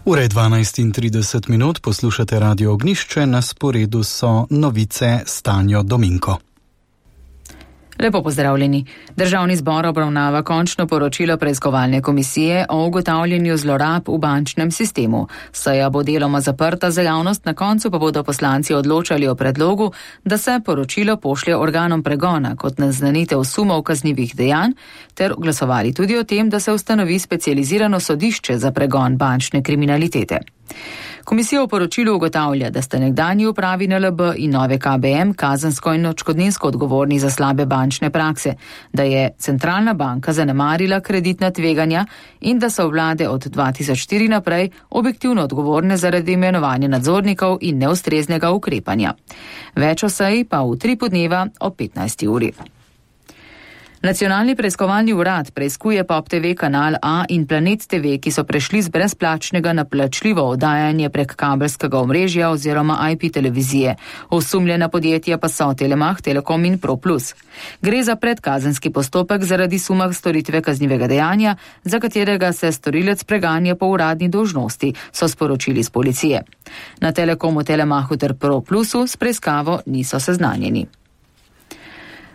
Ura je 12:30, poslušate Radio Ognjišče, na sporedu so novice s Tanjo Dominko. Lepo pozdravljeni. Državni zbor obravnava končno poročilo preiskovalne komisije o ugotavljanju zlorab v bančnem sistemu. Seja bo deloma zaprta za javnost, na koncu pa bodo poslanci odločali o predlogu, da se poročilo pošlje organom pregona kot naznanitev sumov kaznivih dejanj, ter glasovali tudi o tem, da se ustanovi specializirano sodišče za pregon bančne kriminalitete. Komisija v poročilu ugotavlja, da sta nekdanji upravi NLB in nove KBM kazensko in odškodninsko odgovorni za slabe bančne prakse, da je centralna banka zanemarila kreditna tveganja in da so vlade od 2004 naprej objektivno odgovorne zaradi imenovanja nadzornikov in neustreznega ukrepanja. Več o seji pa v 3 podneva o 15. uri. Nacionalni preiskovalni urad preiskuje Pop TV kanal A in Planet TV, ki so prešli z brezplačnega na plačljivo oddajanje prek kabelskega omrežja oziroma IP televizije. Osumljena podjetja pa so Telemach, Telekom in ProPlus. Gre za predkazenski postopek zaradi suma storitve kaznivega dejanja, za katerega se storilec preganja po uradni dolžnosti, so sporočili z policije. Na Telekomu, Telemachu ter ProPlusu s preiskavo niso seznanjeni.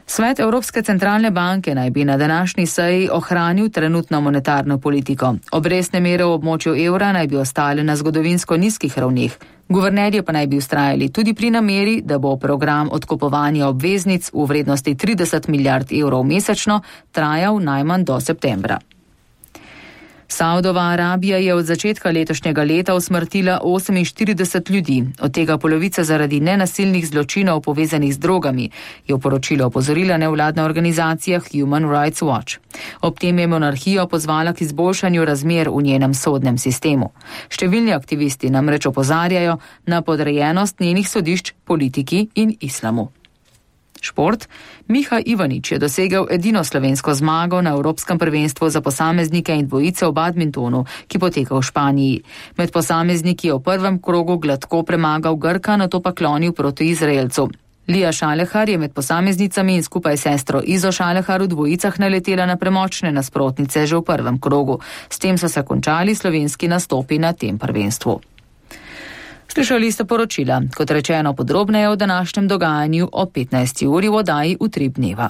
Svet Evropske centralne banke naj bi na današnji seji ohranil trenutno monetarno politiko. Obrestne mere v območju evra naj bi ostale na zgodovinsko nizkih ravneh. Guvernerji pa naj bi vztrajali tudi pri nameri, da bo program odkupovanja obveznic v vrednosti 30 milijard evrov mesečno trajal najmanj do septembra. Saudova Arabija je od začetka letošnjega leta usmrtila 48 ljudi, od tega polovica zaradi nenasilnih zločinov povezanih z drogami, je v poročilu opozorila nevladna organizacija Human Rights Watch. Ob tem je monarhijo pozvala k izboljšanju razmer v njenem sodnem sistemu. Številni aktivisti namreč opozarjajo na podrejenost njenih sodišč politiki in islamu. Šport. Miha Ivanič je dosegel edino slovensko zmago na Evropskem prvenstvu za posameznike in dvojice v badmintonu, ki poteka v Španiji. Med posamezniki je v prvem krogu gladko premagal Grka, nato pa klonil proti Izraelcu. Lija Šalehar je med posameznicami in skupaj s sestro Izo Šalehar v dvojicah naletela na premočne nasprotnice že v prvem krogu. S tem so se končali slovenski nastopi na tem prvenstvu. Slišali ste poročila, kot rečeno podrobneje o današnjem dogajanju o 15. uri v oddaji v 3 dneva.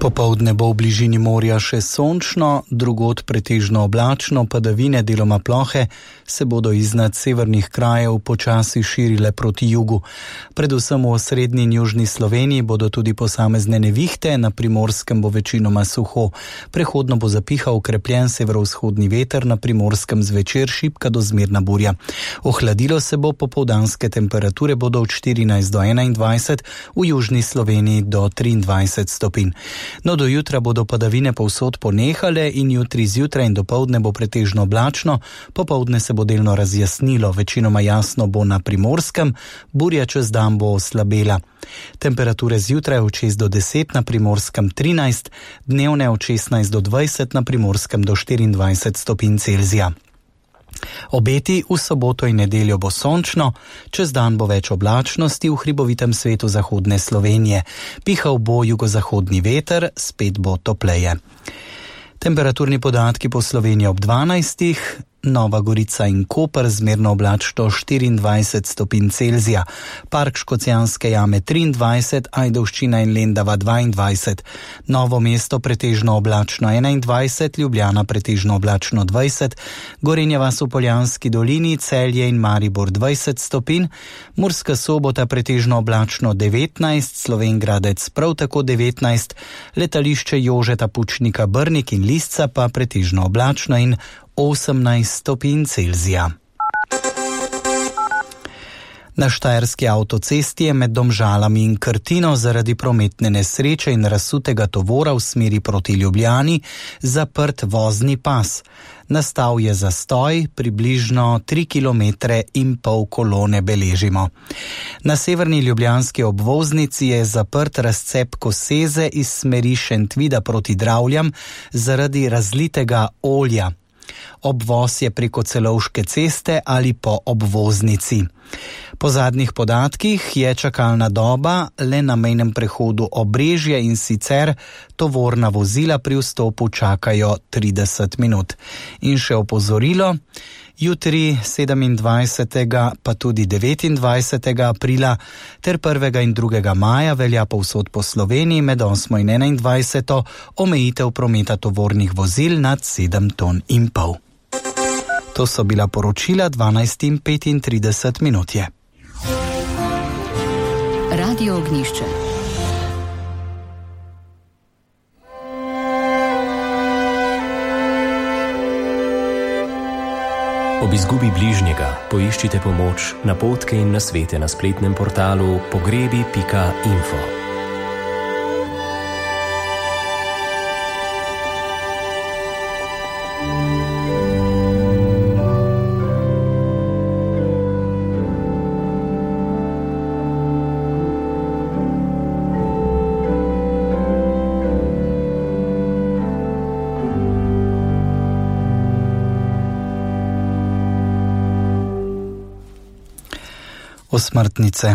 Popoldne bo v bližini morja še sončno, drugod pretežno oblačno, padavine deloma plohe se bodo iznad severnih krajev počasi širile proti jugu. Predvsem v osrednji in južni Sloveniji bodo tudi posamezne nevihte, na Primorskem bo večinoma suho. Prehodno bo zapihal okrepljen severovzhodni veter, na Primorskem zvečer šibka do zmerna burja. Ohladilo se bo, popoldanske temperature bodo od 14 do 21, v južni Sloveniji do 23 stopinj. No, do jutra bodo padavine povsod ponehale in jutri zjutraj in dopoldne bo pretežno oblačno, popoldne se bo delno razjasnilo, večinoma jasno bo na Primorskem, burja čez dan bo oslabela. Temperature zjutraj od 6 do 10, na Primorskem 13, dnevne od 16 do 20, na Primorskem do 24 stopinj Celzija. Obeti: v soboto in nedeljo bo sončno, čez dan bo več oblačnosti v hribovitem svetu zahodne Slovenije. Pihal bo jugozahodni veter, spet bo topleje. Temperaturni podatki po Sloveniji ob 12. Nova Gorica in Koper zmerno oblačno 24 stopinj Celzija, Park Škocjanske jame 23, Ajdovščina in Lendava 22, Novo mesto pretežno oblačno 21, Ljubljana pretežno oblačno 20, Gorenja vas v Poljanski dolini, Celje in Maribor 20 stopinj, Murska Sobota pretežno oblačno 19, Slovenj Gradec prav tako 19, letališče Jožeta Pučnika Brnik in Lisca pa pretežno oblačno in 18 stopinj Celzija. Na štajerski avtocesti je med Domžalami in Krtino zaradi prometne nesreče in razsutega tovora v smeri proti Ljubljani zaprt vozni pas. Nastal je zastoj, približno 3,5 km kolone beležimo. Na severni ljubljanski obvoznici je zaprt razcep Koseze iz smeri Šentvida proti Dravljam zaradi razlitega olja. Obvoz je preko Celovške ceste ali po obvoznici. Po zadnjih podatkih je čakalna doba le na mejnem prehodu Obrežje, in sicer tovorna vozila pri vstopu čakajo 30 minut. In še opozorilo, jutri 27. pa tudi 29. aprila ter 1. in 2. maja velja povsod po Sloveniji med 8. in 21. omejitev prometa tovornih vozil nad 7,5 ton. To so bila poročila 12:35 je. Radio Ognjišče. Ob izgubi bližnjega poiščite pomoč, napotke in nasvete na spletnem portalu pogrebi.info. Osmrtnice.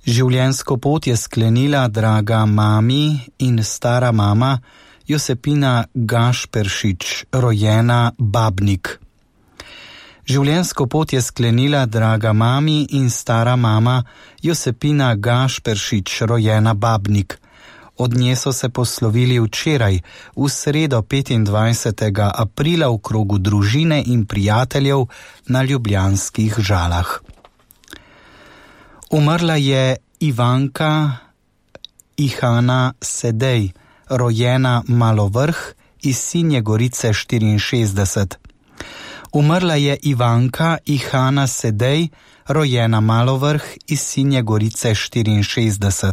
Življenjsko pot je sklenila draga mami in stara mama Josepina Gašperšič, rojena Babnik. Življenjsko pot je sklenila draga mami in stara mama Josepina Gašperšič, rojena Babnik. Od nje so se poslovili včeraj, v sredo 25. aprila v krogu družine in prijateljev na ljubljanskih Žalah. Umrla je Ivanka Ihana Sedej, rojena Malovrh, iz Sinje Gorice 64. Umrla je Ivanka Ihana Sedej, rojena Malovrh, iz Sinje Gorice 64.